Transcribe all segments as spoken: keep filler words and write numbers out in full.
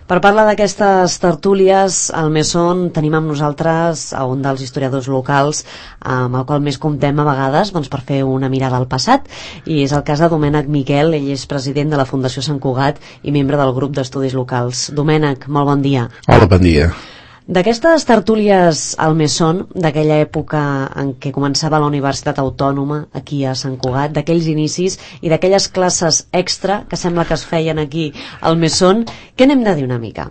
Per parlar d'aquestes tertúlies, al Mesón tenim amb nosaltres a un dels historiadors locals amb el qual més comptem a vegades doncs, per fer una mirada al passat, i és el cas de Domènec Miquel. Ell és president de la Fundació Sant Cugat i membre del grup d'estudis locals. Domènec, molt bon dia. Hola, bon dia. D'aquestes tertúlies al Mesón, d'aquella època en què començava la Universitat Autònoma aquí a Sant Cugat, d'aquells inicis i d'aquelles classes extra que sembla que es feien aquí al Mesón, què n'hem de dir una mica?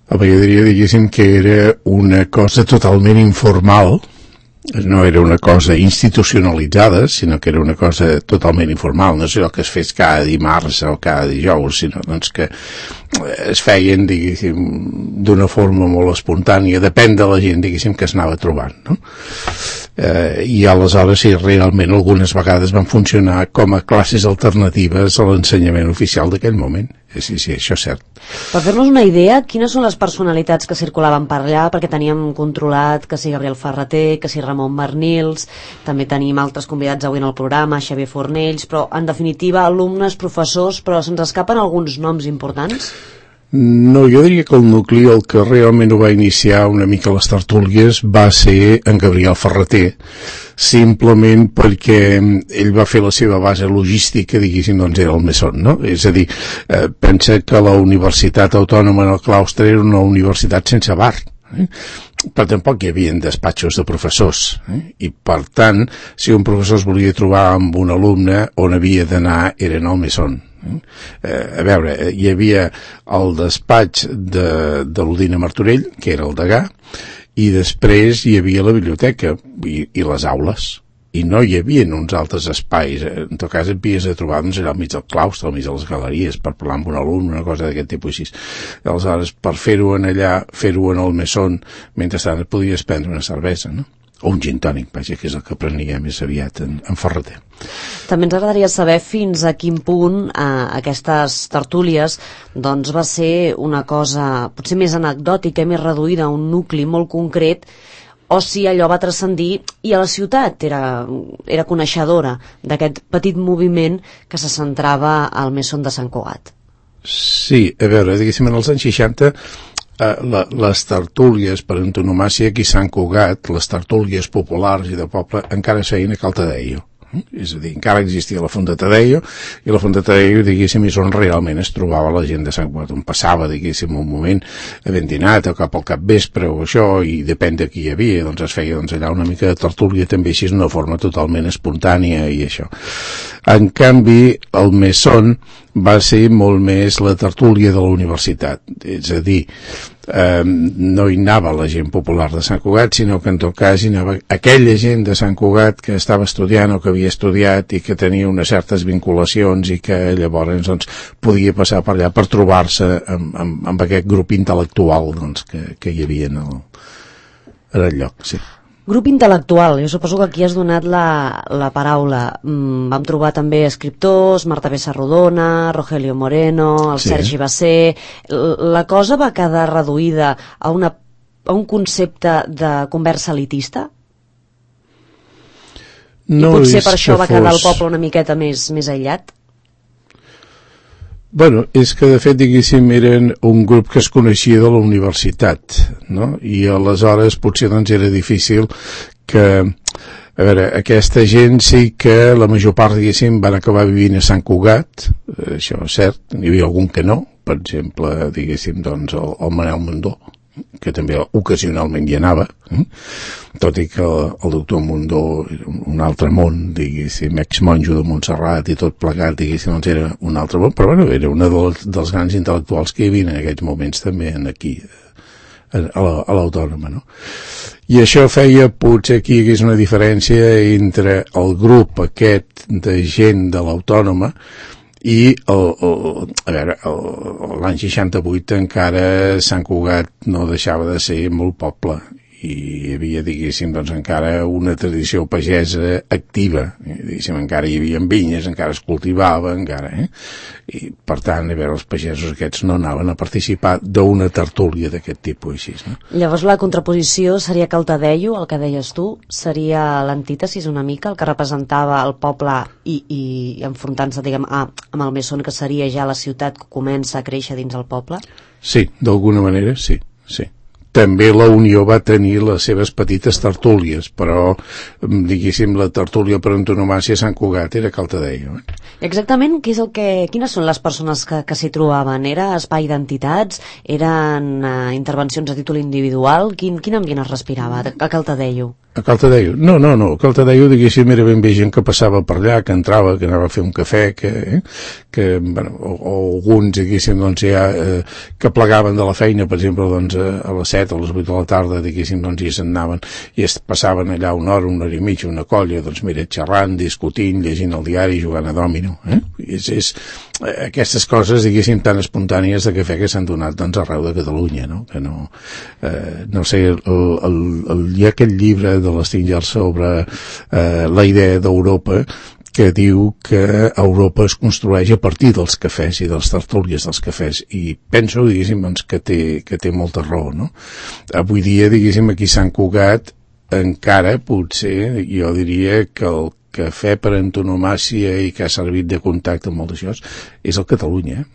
Home, jo diria, diguéssim, que era una cosa totalment informal. No era una cosa institucionalitzada, sinó que era una cosa totalment informal. No sé el que es fes cada dimarts o cada dijous, sinó doncs, que es feien, diguéssim, d'una forma molt espontània, depèn de la gent, diguéssim, que es anava trobant, no? Eh, i aleshores sí, realment algunes vegades van funcionar com a classes alternatives a l'ensenyament oficial d'aquell moment. Sí, sí, això és cert. Per fer-nos una idea, quines són les personalitats que circulaven per allà? Perquè teníem controlat que si Gabriel Ferrater, que si Ramon Barnils, també tenim altres convidats avui en el programa, Xavier Fornells, però en definitiva alumnes, professors, però se'ns escapen alguns noms importants? No, jo diria que el nucli, el que realment ho va iniciar una mica les tertúlies, va ser en Gabriel Ferrater, simplement perquè ell va fer la seva base logística, diguéssim, doncs era el Mesón, no? És a dir, eh, pensa que la Universitat Autònoma en el claustre era una universitat sense bar, eh? Però tampoc hi havia despatxos de professors, eh? I per tant, si un professor es volia trobar amb un alumne, on havia d'anar era en el Mesón. Eh, a veure, hi havia el despatx de, de l'Udina Martorell, que era el degà, i després hi havia la biblioteca i, i les aules, i no hi havia uns altres espais. En tot cas et havies de trobar doncs, allà al mig del claustre, al mig de les galeries, per parlar amb un alumne, una cosa d'aquest tipus així. Aleshores, per fer-ho en allà, fer-ho en el Mesón, mentrestant et podies prendre una cervesa, no? O un gin tònic, vaja, que és el que prenia més aviat en, en Ferrater. També ens agradaria saber fins a quin punt eh, aquestes tertúlies doncs, va ser una cosa potser més anecdòtica i més reduïda a un nucli molt concret, o si allò va transcendir i a la ciutat era, era coneixedora d'aquest petit moviment que se centrava al Mesón de Sant Cugat. Sí, a veure, diguéssim, en els anys seixanta Uh, la, les tertúlies per antonomàsia aquí a Sant Cugat, les tertúlies populars i de poble, encara es feien a Cal Tadeio. Eh? És a dir, encara existia la Font de Tadeio, i la Font de Tadeio, diguéssim, és on realment es trobava la gent de Sant Cugat, on passava, diguéssim, un moment havent dinat o cap al capvespre o això, i depèn de qui hi havia, doncs es feia doncs, allà una mica de tertúlia també així, d'una forma totalment espontània i això. En canvi, el Mesón va ser molt més la tertúlia de la universitat, és a dir, eh, no hi anava la gent popular de Sant Cugat, sinó que en tot cas hi anava aquella gent de Sant Cugat que estava estudiant o que havia estudiat i que tenia unes certes vinculacions i que llavors doncs, podia passar per allà per trobar-se amb, amb, amb aquest grup intel·lectual doncs, que, que hi havia en el, en el lloc, sí. Grup intel·lectual, jo suposo que aquí has donat la, la paraula. Mm, vam trobar també escriptors, Marta Bessarrodona, Rogelio Moreno, el sí. Sergi Basser. La cosa va quedar reduïda a, una, a un concepte de conversa elitista? No, I potser per això va fos... quedar el poble una miqueta més, més aïllat? Bueno, és que de fet, diguéssim, eren un grup que es coneixia de la universitat, no? I aleshores potser doncs era difícil que, a veure, aquesta gent sí que la major part, diguéssim, van acabar vivint a Sant Cugat, això és cert, n'hi havia algun que no, per exemple, diguéssim, doncs el, el Manel Mundó, que també ocasionalment hi anava, eh? Tot i que el, el doctor Mundó era un altre món, diguéssim, ex-monjo de Montserrat i tot plegat, diguéssim, doncs era un altre món, però bueno, era un dels, dels grans intel·lectuals que hi havia en aquells moments també en aquí, a, a l'Autònoma, no? I això feia, potser aquí hi hagués una diferència entre el grup aquest de gent de l'Autònoma i el, el, a veure, l'any seixanta-vuit encara Sant Cugat no deixava de ser molt poble i hi havia, diguéssim, doncs encara una tradició pagesa activa, eh? Diguéssim, encara hi havia vinyes, encara es cultivava, encara, eh? I per tant, a veure, els pagesos aquests no anaven a participar d'una tertúlia d'aquest tipus així, no? Llavors la contraposició seria que el Tadeio, el que deies tu, seria l'antítesis una mica, el que representava el poble i, i enfrontant-se, diguem, a, amb el Mesón, que seria ja la ciutat que comença a créixer dins el poble? Sí, d'alguna manera, sí, sí. També la Unió va tenir les seves petites tertúlies, però, diguéssim, la tertúlia per antonomàsia a Sant Cugat era Cal Tadeio. Eh? Exactament, què és el que, quines són les persones que, que s'hi trobaven? Era espai d'entitats? Eren uh, intervencions a títol individual? Quin, quin ambient es respirava a Cal Tadeio? A Cal Tadeio? No, no, no. A Cal Tadeio, diguéssim, era ben bé gent que passava per allà, que entrava, que anava a fer un cafè, que, eh, que bueno, o, o alguns, diguéssim, doncs ja, eh, que plegaven de la feina, per exemple, doncs a, a les set o a les vuit de la tarda, diguéssim, doncs ja se'n anaven i es passaven allà una hora, una hora i mitja, una colla, doncs mira, xerrant, discutint, llegint el diari, jugant a dòmino, eh? És, és aquestes coses, diguéssim, tan espontànies de cafè que s'han donat, doncs, arreu de Catalunya, no? Que no, eh, no sé, el, el, el, hi ha aquell llibre de l'Stinger sobre eh, la idea d'Europa que diu que Europa es construeix a partir dels cafès i dels tertúlies dels cafès, i penso, diguéssim, doncs, que té, que té molta raó, no? Avui dia, diguéssim, aquí a Sant Cugat encara, potser, jo diria que el cafè per antonomàsia i que ha servit de contacte amb molt d'això és el Catalunya,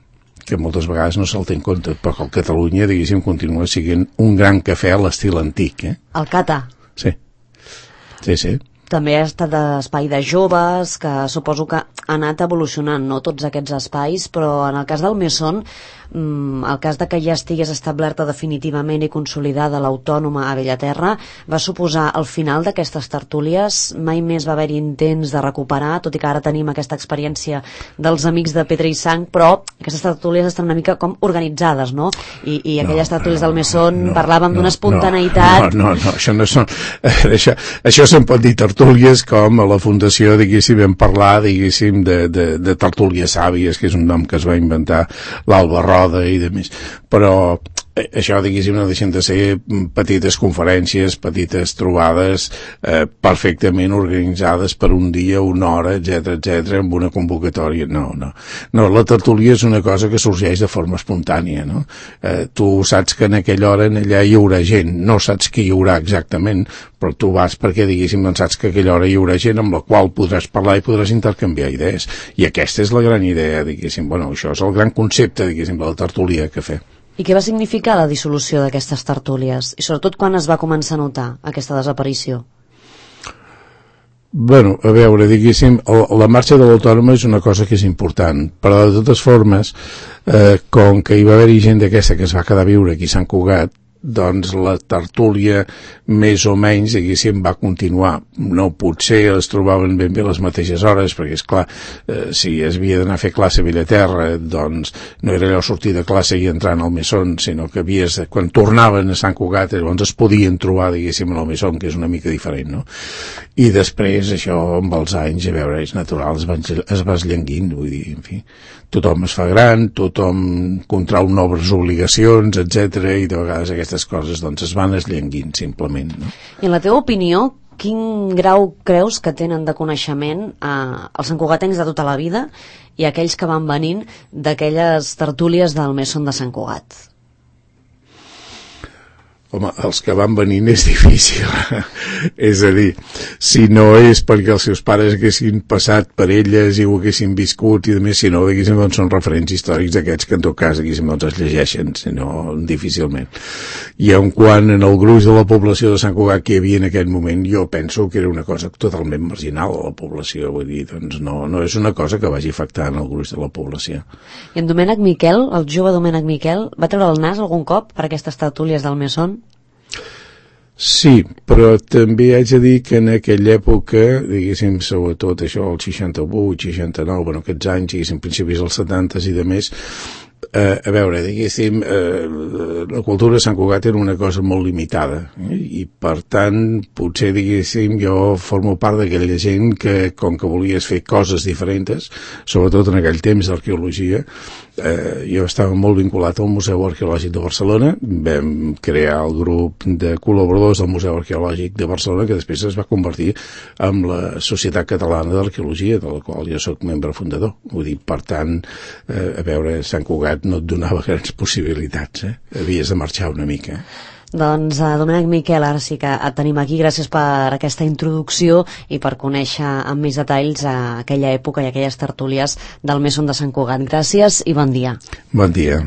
que moltes vegades no se'l té en compte, però que el Catalunya, diguéssim, continua sent un gran cafè a l'estil antic, eh? El Cata. Sí. Sí, sí. També ha estat espai de joves, que suposo que ha anat evolucionant, no, tots aquests espais, però en el cas del Mesón, el cas de que ja estigués establerta definitivament i consolidada l'Autònoma a Bellaterra va suposar el final d'aquestes tertúlies. Mai més va haver-hi intents de recuperar, tot i que ara tenim aquesta experiència dels amics de Pedra i Sang, però aquestes tertúlies estan una mica com organitzades, no? I, i aquelles no, tertúlies del Mesón no, parlàvem no, d'una espontaneïtat. No, no, no, això no són... Això, això se'n pot dir tertúlies, com a la Fundació, diguéssim, vam parlar, diguéssim, de, de, de tertúlies sàvies, que és un nom que es va inventar l'Alba Roda i de més, però això, diguéssim, no deixen de ser petites conferències, petites trobades eh, perfectament organitzades per un dia, una hora, etcètera, etcètera, amb una convocatòria. No, no. No, la tertúlia és una cosa que sorgeix de forma espontània, no? Eh, tu saps que en aquella hora en allà hi haurà gent, no saps qui hi haurà exactament, però tu vas perquè, diguéssim, doncs saps que a aquella hora hi haurà gent amb la qual podràs parlar i podràs intercanviar idees. I aquesta és la gran idea, diguéssim. Bueno, això és el gran concepte, diguéssim, de la tertúlia que fer. I què va significar la dissolució d'aquestes tertúlies? I sobretot quan es va començar a notar aquesta desaparició? Bueno, a veure, diguéssim, la marxa de l'Autònoma és una cosa que és important, però de totes formes, eh, com que hi va haver-hi gent d'aquesta que es va quedar a viure aquí a Sant Cugat, doncs la tertúlia més o menys, diguéssim, va continuar. No potser es trobaven ben bé les mateixes hores, perquè, esclar, eh, si es havia d'anar a fer classe a Bellaterra, doncs no era allò sortir de classe i entrar al Mesón, sinó que havies, quan tornaven a Sant Cugat, llavors es podien trobar, diguéssim, al Mesón, que és una mica diferent, no? I després, això, amb els anys, a veure, és natural, es va, es va esllenguint, vull dir, en fi, tothom es fa gran, tothom contrau noves obligacions, etcètera, i de vegades aquestes coses doncs es van esllenguint simplement, no? I en la teva opinió, quin grau creus que tenen de coneixement eh, els santcugatencs de tota la vida i aquells que van venint d'aquelles tertúlies del Mesón de Sant Cugat? Home, els que van venint és difícil. És a dir, si no és perquè els seus pares haguessin passat per elles i ho haguessin viscut i demés, si no, diguéssim, doncs són referents històrics d'aquests que en tot cas, diguéssim, doncs es llegeixen, si no, difícilment. I en quant en el gruix de la població de Sant Cugat que hi havia en aquell moment, jo penso que era una cosa totalment marginal a la població, vull dir, doncs no, no és una cosa que vagi afectant el gruix de la població. I en Domènec Miquel, el jove Domènec Miquel, va treure el nas algun cop per aquestes tertúlies del Mesón? Sí, però també haig de dir que en aquella època, diguéssim, sobretot això, el seixanta-vuit, seixanta-nou, bueno, aquests anys, diguéssim, principis dels setanta i de més, eh, a veure, diguéssim, eh, la cultura de Sant Cugat era una cosa molt limitada, eh? I per tant, potser, diguéssim, jo formo part d'aquella gent que, com que volies fer coses diferents, sobretot en aquell temps d'arqueologia, eh, jo estava molt vinculat al Museu Arqueològic de Barcelona, vam crear el grup de col·laboradors del Museu Arqueològic de Barcelona, que després es va convertir en la Societat Catalana d'Arqueologia, de la qual jo sóc membre fundador. Vull dir, per tant, eh, a veure, Sant Cugat no et donava grans possibilitats, eh? Havies de marxar una mica. Doncs, uh, Domènec Miquel, ara sí que et tenim aquí. Gràcies per aquesta introducció i per conèixer amb més detalls uh, aquella època i aquelles tertúlies del Mesón de Sant Cugat. Gràcies i bon dia. Bon dia.